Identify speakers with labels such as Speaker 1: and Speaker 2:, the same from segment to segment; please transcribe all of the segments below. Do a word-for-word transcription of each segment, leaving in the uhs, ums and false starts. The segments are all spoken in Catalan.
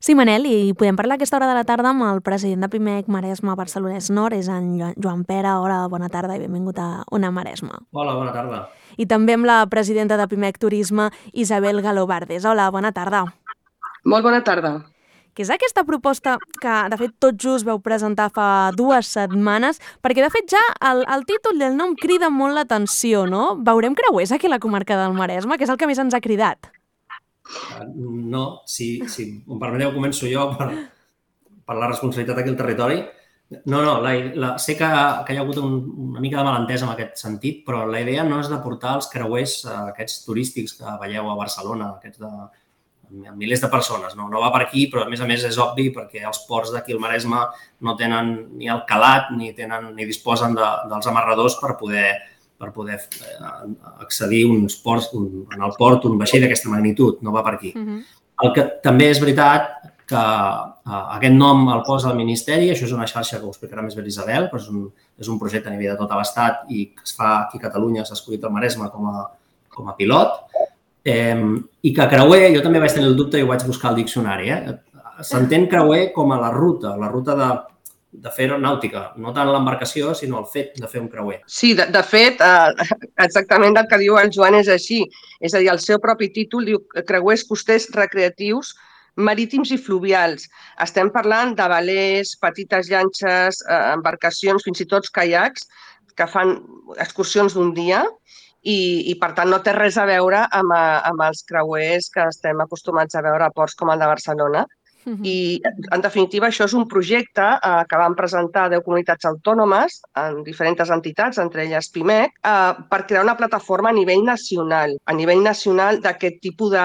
Speaker 1: Sí, Manel, i podem parlar a aquesta hora de la tarda amb el president de Pimec Maresme Barcelonès Nord, és en Joan Pere. Hola, bona tarda i benvingut a Ona Maresme.
Speaker 2: Hola, bona tarda.
Speaker 1: I també amb la presidenta de Pimec Turisme, Isabel Galobardes. Hola, bona tarda.
Speaker 3: Molt bona tarda.
Speaker 1: Què és aquesta proposta que, de fet, tot just vau presentar fa dues setmanes? Perquè, de fet, ja el, el títol i el nom crida molt l'atenció, no? Veurem creuers aquí a la comarca del Maresme, que és el que més ens ha cridat.
Speaker 2: Uh, no, si, si em permeteu, començo jo per, per la responsabilitat aquí al territori. No, no, la, la, sé que, que hi ha hagut un, una mica de malentès en aquest sentit, però la idea no és de portar els creuers uh, aquests turístics que veieu a Barcelona, aquests de milers de persones. No, no va per aquí, però a més a més és obvi perquè els ports d'aquí al Maresme no tenen ni el calat ni, tenen, ni disposen de, dels amarradors per poder per poder accedir uns ports, un, en el port un vaixell d'aquesta magnitud, no va per aquí. Uh-huh. El que també és veritat que uh, aquest nom el posa el Ministeri, això és una xarxa que ho explicarà més bé l'Isabel, però és un, és un projecte a nivell de tot l'Estat i que es fa aquí a Catalunya, s'ha escollit el Maresme com a, com a pilot, eh, i que creuer, jo també vaig tenir el dubte i ho vaig buscar al diccionari, eh? S'entén creuer com a la ruta, la ruta de de fer aeronàutica, no tant l'embarcació, sinó el fet de fer un creuer.
Speaker 3: Sí, de, de fet, eh, exactament el que diu el Joan és així. És a dir, el seu propi títol diu creuers costers recreatius marítims i fluvials. Estem parlant de velers, petites llanxes, eh, embarcacions, fins i tot caiacs, que fan excursions d'un dia i, i, per tant, no té res a veure amb, amb els creuers que estem acostumats a veure a ports com el de Barcelona. I, en definitiva, això és un projecte eh, que vam presentar a deu comunitats autònomes en diferents entitats, entre elles Pimec, eh, per crear una plataforma a nivell nacional, a nivell nacional d'aquest tipus de,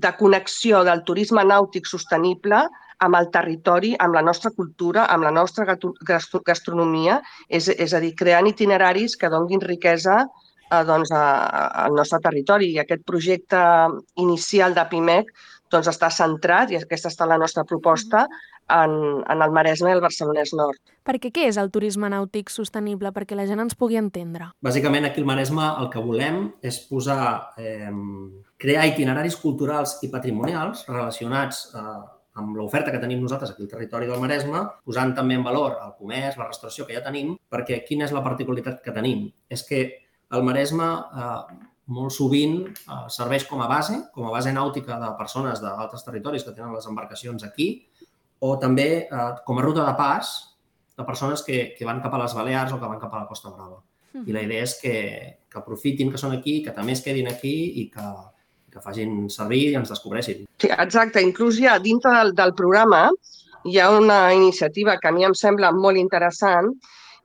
Speaker 3: de connexió del turisme nàutic sostenible amb el territori, amb la nostra cultura, amb la nostra gastronomia, és, és a dir, creant itineraris que donguin riquesa eh, doncs, a, al nostre territori. I aquest projecte inicial de Pimec doncs està centrat, i aquesta està la nostra proposta, en, en el Maresme i el Barcelonès Nord.
Speaker 1: Perquè què és el turisme nàutic sostenible? Perquè la gent ens pugui entendre.
Speaker 2: Bàsicament, aquí al Maresme el que volem és posar, eh, crear itineraris culturals i patrimonials relacionats eh, amb l'oferta que tenim nosaltres aquí al territori del Maresme, posant també en valor el comerç, la restauració que ja tenim, perquè quina és la particularitat que tenim? És que el Maresme eh, molt sovint eh, serveix com a base, com a base nàutica de persones d'altres territoris que tenen les embarcacions aquí, o també eh, com a ruta de pas de persones que, que van cap a les Balears o que van cap a la Costa Brava. Uh-huh. I la idea és que, que aprofitin que són aquí, que també es quedin aquí i que, que facin servir i ens descobreixin.
Speaker 3: Sí, exacte. Inclús ja dintre del, del programa hi ha una iniciativa que a mi em sembla molt interessant,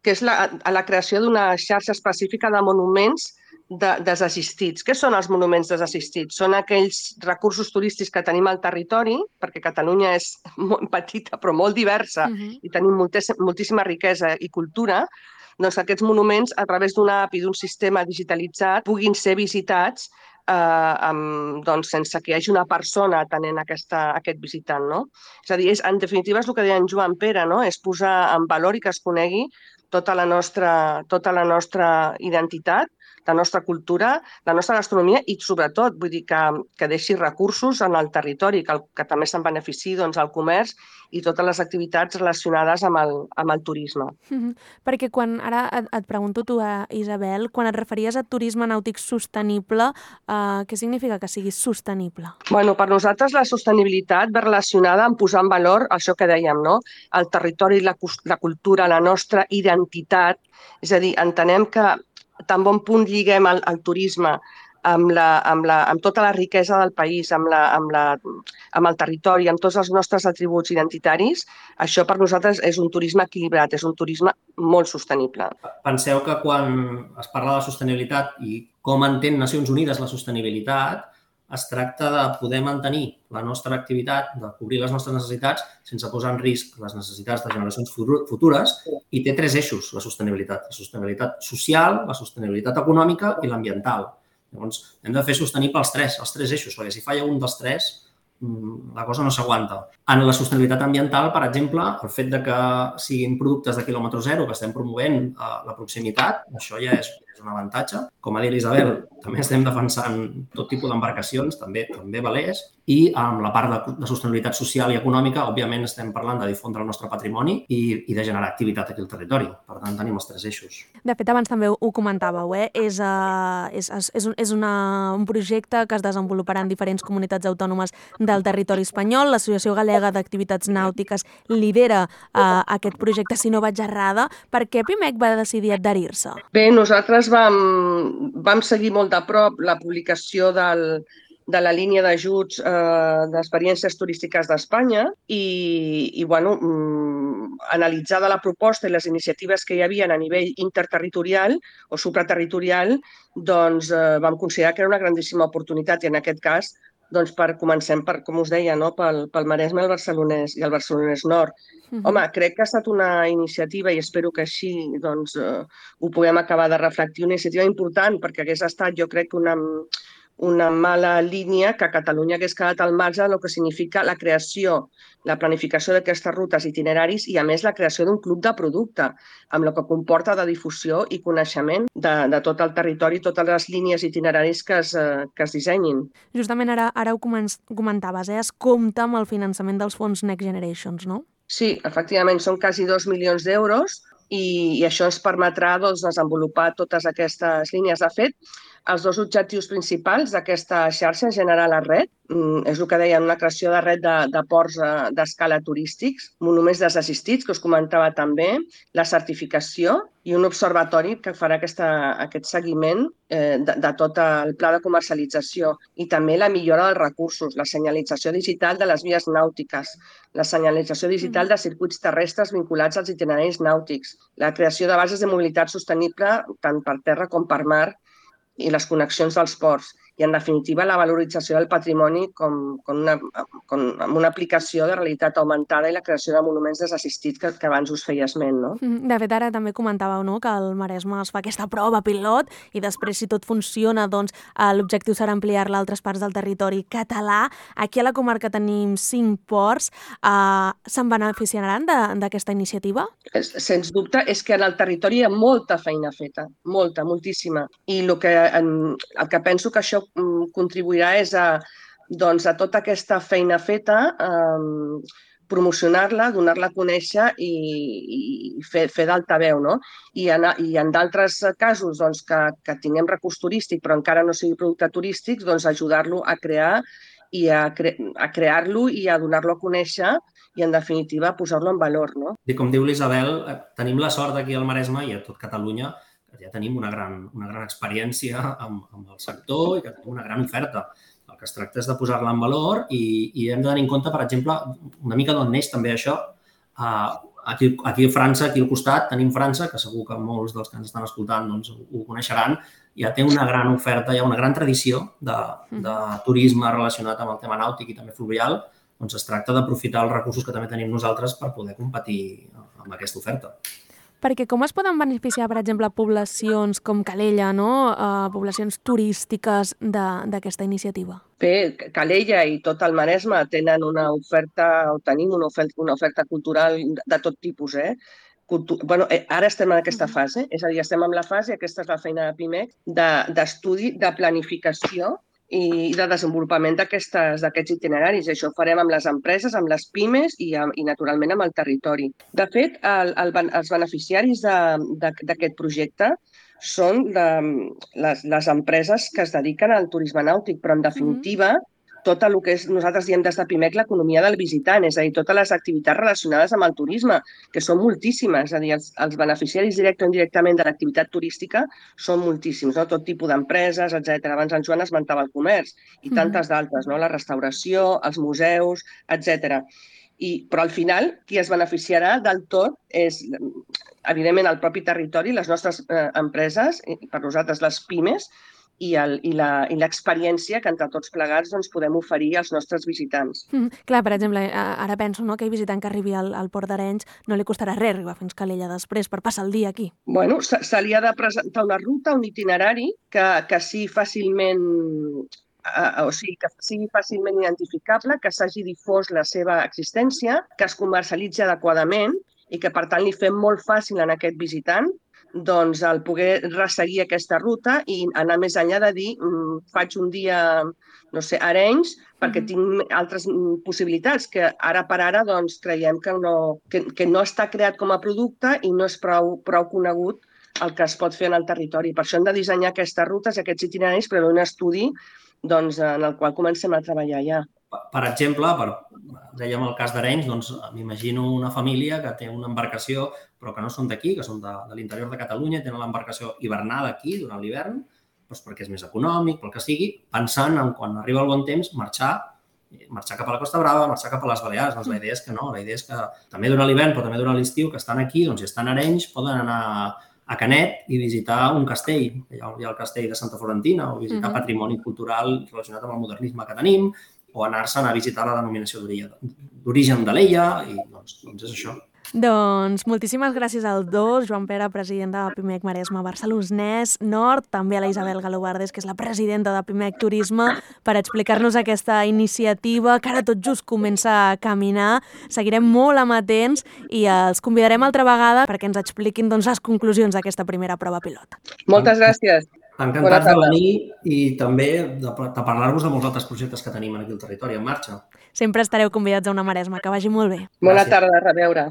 Speaker 3: que és la, la creació d'una xarxa específica de monuments de, desassistits. Què són els monuments desassistits? Són aquells recursos turístics que tenim al territori, perquè Catalunya és molt petita però molt diversa uh-huh. i tenim moltes, moltíssima riquesa i cultura, doncs aquests monuments, a través d'una app i d'un sistema digitalitzat, puguin ser visitats eh, amb, doncs, sense que hi hagi una persona atenent aquesta, aquest visitant. No? És a dir, és, en definitiva és el que deia en Joan Pere, no? És posar en valor i que es conegui tota la nostra, tota la nostra identitat, la nostra cultura, la nostra gastronomia i, sobretot, vull dir que, que deixi recursos en el territori, que, el, que també se'n benefici doncs, el comerç i totes les activitats relacionades amb el, amb el turisme.
Speaker 1: Mm-hmm. Perquè quan, ara et, et pregunto tu, a Isabel, quan et referies a turisme nàutic sostenible, eh, què significa que sigui sostenible?
Speaker 3: Bueno, per nosaltres la sostenibilitat ve relacionada amb posar en valor això que dèiem, no? El territori, la, la cultura, la nostra identitat. És a dir, entenem que tan bon punt lliguem el, el turisme amb, la, amb, la, amb tota la riquesa del país, amb, la, amb, la, amb el territori, amb tots els nostres atributs identitaris, això per nosaltres és un turisme equilibrat, és un turisme molt sostenible.
Speaker 2: Penseu que quan es parla de sostenibilitat i com entén Nacions Unides la sostenibilitat, es tracta de poder mantenir la nostra activitat, de cobrir les nostres necessitats sense posar en risc les necessitats de generacions futures, i té tres eixos, la sostenibilitat. La sostenibilitat social, la sostenibilitat econòmica i l'ambiental. Llavors, hem de fer sostenible els tres, els tres eixos, perquè si falla un dels tres, la cosa no s'aguanta. En la sostenibilitat ambiental, per exemple, el fet de que siguin productes de quilòmetre zero, que estem promovent la proximitat, això ja és és un avantatge. Com ha dit l'Isabel, també estem defensant tot tipus d'embarcacions, també també velers, i amb la part de, de sostenibilitat social i econòmica, òbviament estem parlant de difondre el nostre patrimoni i, i de generar activitat aquí al territori. Per tant, tenim els tres eixos.
Speaker 1: De fet, abans també ho comentàveu, eh? és, uh, és, és, un, és una, un projecte que es desenvoluparà en diferents comunitats autònomes del territori espanyol. L'Associació Galega d'Activitats Nàutiques lidera uh, aquest projecte, si no vaig errada. Per què Pimec va decidir adherir-se?
Speaker 3: Bé, nosaltres vam, vam seguir molt de prop la publicació del, de la línia d'ajuts eh, d'experiències turístiques d'Espanya i, i bueno, mm, analitzada la proposta i les iniciatives que hi havia a nivell interterritorial o supraterritorial, doncs eh, vam considerar que era una grandíssima oportunitat i en aquest cas doncs per comencem per, com us deia, no? pel, pel Maresme el Barcelonès i el Barcelonès Nord. Uh-huh. Home, crec que ha estat una iniciativa i espero que així doncs, eh, ho puguem acabar de reflectir, una iniciativa important perquè hagués estat, jo crec, una, una mala línia que Catalunya hagués quedat al marge del que significa la creació, la planificació d'aquestes rutes itineraris i, a més, la creació d'un club de producte, amb el que comporta de difusió i coneixement de, de tot el territori, totes les línies itineraris que es, que es dissenyin.
Speaker 1: Justament ara, ara ho comentaves, eh? Es compta amb el finançament dels fons Next Generations, no?
Speaker 3: Sí, efectivament, són quasi dos milions d'euros i, i això ens permetrà doncs, desenvolupar totes aquestes línies. De fet, els dos objectius principals d'aquesta xarxa, generar la red, és el que deien, una creació de red de, de ports d'escala turístics, monuments desassistits, que us comentava també, la certificació i un observatori que farà aquesta, aquest seguiment eh, de, de tot el pla de comercialització i també la millora dels recursos, la senyalització digital de les vies nàutiques, la senyalització digital de circuits terrestres vinculats als itineraris nàutics, la creació de bases de mobilitat sostenible tant per terra com per mar i les connexions dels ports i, en definitiva, la valorització del patrimoni com, com una, com, amb una aplicació de realitat augmentada i la creació de monuments desassistits que, que abans us feia esment. No?
Speaker 1: De fet, ara també comentàveu, no?, que al Maresme es fa aquesta prova pilot i després, si tot funciona, doncs l'objectiu serà ampliar-la a altres parts del territori català. Aquí a la comarca tenim cinc ports. Uh, se'n beneficiaran d'aquesta iniciativa?
Speaker 3: Sens dubte, és que en el territori hi ha molta feina feta, molta, moltíssima. I el que, el que penso que això contribuirà és a, doncs, a tota aquesta feina feta, eh, promocionar-la, donar-la a conèixer i, i fer, fer d'altaveu. No? I en, i en d'altres casos doncs, que, que tinguem recurs turístic però encara no sigui producte turístic, doncs ajudar-lo a crear i a, cre a crear-lo i a donar-lo a conèixer i, en definitiva, posar-lo en valor. No?
Speaker 2: I com diu l'Isabel, tenim la sort aquí al Maresme i a tot Catalunya que ja tenim una gran, una gran experiència amb, amb el sector i que tenim una gran oferta. El que es tracta és de posar-la en valor i, i hem de tenir en compte, per exemple, una mica d'on neix també això. Uh, aquí, aquí a França, aquí al costat, tenim França, que segur que molts dels que ens estan escoltant doncs, ho coneixeran, ja té una gran oferta, hi ha una gran tradició de, de turisme relacionat amb el tema nàutic i també fluvial. Doncs es tracta d'aprofitar els recursos que també tenim nosaltres per poder competir amb aquesta oferta.
Speaker 1: Perquè com es poden beneficiar, per exemple, poblacions com Calella, no? Uh, poblacions turístiques d'aquesta iniciativa?
Speaker 3: Bé, Calella i tot el Maresme tenen una oferta, o tenim una oferta, una oferta cultural de tot tipus, eh? Cultu bueno, ara estem en aquesta fase, és a dir, estem en la fase, aquesta és la feina de Pimec, d'estudi, de, de planificació i de desenvolupament d'aquests itineraris. Això ho farem amb les empreses, amb les pimes i, i naturalment, amb el territori. De fet, el, el, els beneficiaris d'aquest projecte són de, les, les empreses que es dediquen al turisme nàutic, però, en definitiva, tot el que és, nosaltres diem des de Pimec, l'economia del visitant, és a dir, totes les activitats relacionades amb el turisme, que són moltíssimes, és a dir, els, els beneficiaris directe o indirectament de l'activitat turística són moltíssims, no? Tot tipus d'empreses, etcètera. Abans en Joan esmentava el comerç i tantes d'altres, no? La restauració, els museus, etcètera. I, però al final, qui es beneficiarà del tot és, evidentment, el propi territori, les nostres eh, empreses, i per nosaltres les pimes, i l'experiència que entre tots plegats doncs, podem oferir als nostres visitants.
Speaker 1: Mm, clar, per exemple, ara penso, no, que aquell visitant que arribi al, al Port d'Arenys no li costarà res arribar fins Calella després per passar el dia aquí.
Speaker 3: Bueno, se, se li ha de presentar una ruta, un itinerari que, que sigui fàcilment Uh, o sigui, que sigui fàcilment identificable, que s'hagi difós la seva existència, que es comercialitzi adequadament i que, per tant, li fem molt fàcil en aquest visitant doncs, el poder resseguir aquesta ruta i anar més enllà de dir faig un dia, no sé, a Arenys, perquè tinc altres possibilitats que ara per ara doncs, creiem que no, que, que no està creat com a producte i no és prou, prou conegut el que es pot fer en el territori. Per això hem de dissenyar aquestes rutes, aquests itineraris, però un estudi doncs, en el qual comencem a treballar ja.
Speaker 2: Per exemple, per, dèiem el cas d'Arenys, doncs m'imagino una família que té una embarcació però que no són d'aquí, que són de, de l'interior de Catalunya, tenen l'embarcació hivernada aquí durant l'hivern, doncs perquè és més econòmic, pel que sigui, pensant en quan arriba el bon temps marxar, marxar cap a la Costa Brava, marxar cap a les Balears. Doncs la idea és que no, la idea és que també durant l'hivern però també durant l'estiu que estan aquí, doncs si estan a Arenys poden anar a Canet i visitar un castell. Hi ha, hi ha el castell de Santa Florentina o visitar uh-huh. patrimoni cultural relacionat amb el modernisme que tenim, o anar-se'n a visitar la denominació d'origen de l'Ella, i doncs, doncs és això.
Speaker 1: Doncs moltíssimes gràcies als dos, Joan Pere, president de Pimec Maresme Barcelonès Nord, també a la Isabel Galobardes, que és la presidenta de Pimec Turisme, per explicar-nos aquesta iniciativa que ara tot just comença a caminar. Seguirem molt amatents i els convidarem altra vegada perquè ens expliquin doncs, les conclusions d'aquesta primera prova pilot.
Speaker 3: Moltes gràcies.
Speaker 2: Encantats de venir i també de, de parlar-vos de molts altres projectes que tenim aquí al territori en marxa.
Speaker 1: Sempre estareu convidats a una Maresma. Que vagi molt bé.
Speaker 3: Bona tarda, a reveure.